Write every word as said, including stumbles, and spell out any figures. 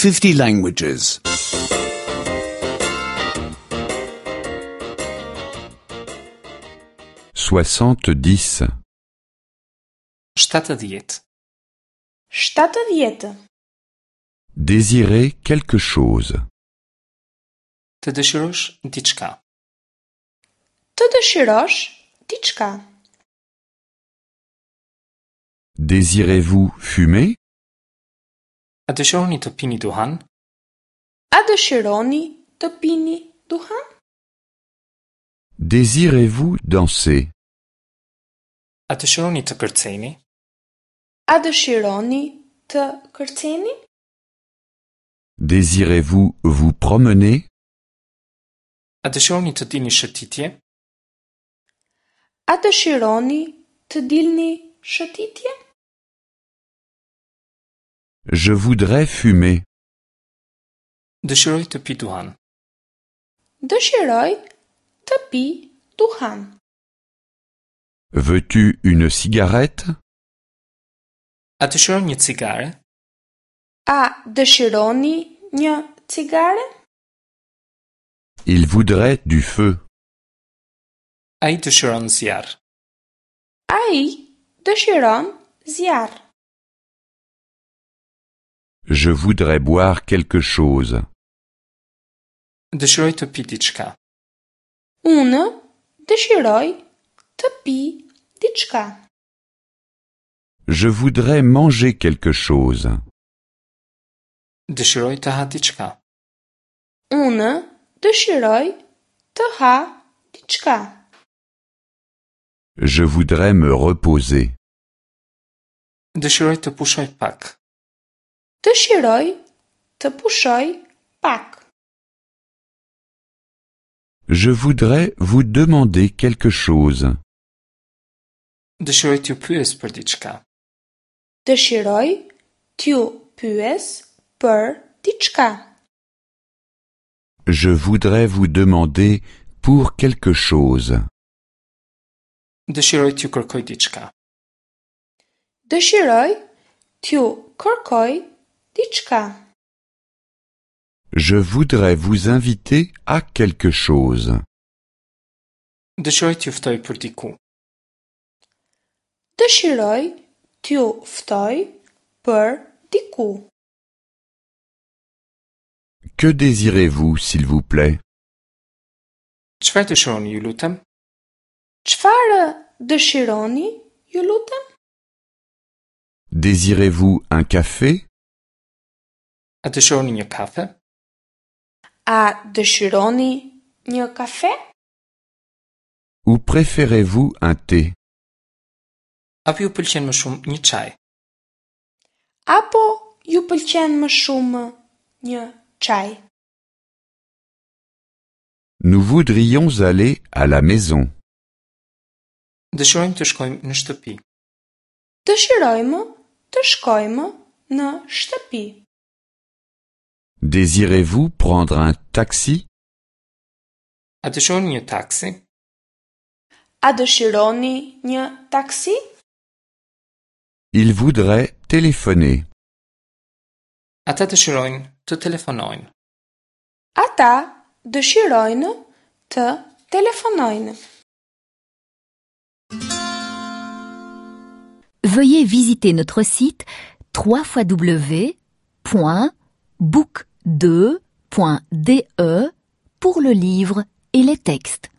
fifty languages. Soixante-dix. Shtatëdhjetë. Shtatëdhjetë. Désirer quelque chose. Të dëshirosh diçka. Të dëshirosh diçka. Désirez-vous fumer? A dëshironi të pini duhan? A dëshironi të pini duhan? Désirez-vous danser? A dëshironi të kërceni? A dëshironi të kërceni? Désirez-vous vous promener? A dëshironi të dilni shëtitje? A dëshironi të dilni shëtitje? Je voudrais fumer. Dëshiroj të pi duhan. Dëshiroj të pi duhan. Veux-tu une cigarette? A dëshiron një cigare? A dëshironi një cigare? Il voudrait du feu. Ai dëshiron zjarr. Ai dëshiron zjarr. Je voudrais boire quelque chose. Dëshiroj të pi diçka. Unë dëshiroj të pi diçka. Je voudrais manger quelque chose. Dëshiroj të ha diçka. Unë dëshiroj të ha diçka. Je voudrais me reposer. Dëshiroj të pushoj pak. Dëshiroj të pushoj pak. Je voudrais vous demander quelque chose. Dëshiroj t'ju pyes për diçka. Dëshiroj t'ju pyes për diçka. Je voudrais vous demander pour quelque chose. Dëshiroj t'ju kërkoj diçka. Dëshiroj t'ju kërkoj diçka. Je voudrais vous inviter à quelque chose. Dëshiroj t'ju ftoj për diku. Dëshiroj t'ju ftoj për diku. Que désirez-vous, s'il vous plaît? Çfarë dëshironi, ju lutem? Çfarë dëshironi, ju lutem? Désirez-vous un café? A dëshironi një kafe? A dëshironi një kafe? Ou préférez-vous un thé? Apo ju pëlqen më shumë një çaj? Apo ju pëlqen më shumë një çaj? Nous voudrions aller à la maison. Dëshirojmë të shkojmë në shtëpi. Dëshirojmë të shkojmë në shtëpi. Désirez-vous prendre un taxi? A dëshironi një taksi? A dëshironi një taksi? Il voudrait téléphoner. Ata dëshirojnë të telefonojnë. Ata dëshirojnë të telefonojnë. Veuillez visiter notre site trois fois w point book deux point d e pour le livre et les textes.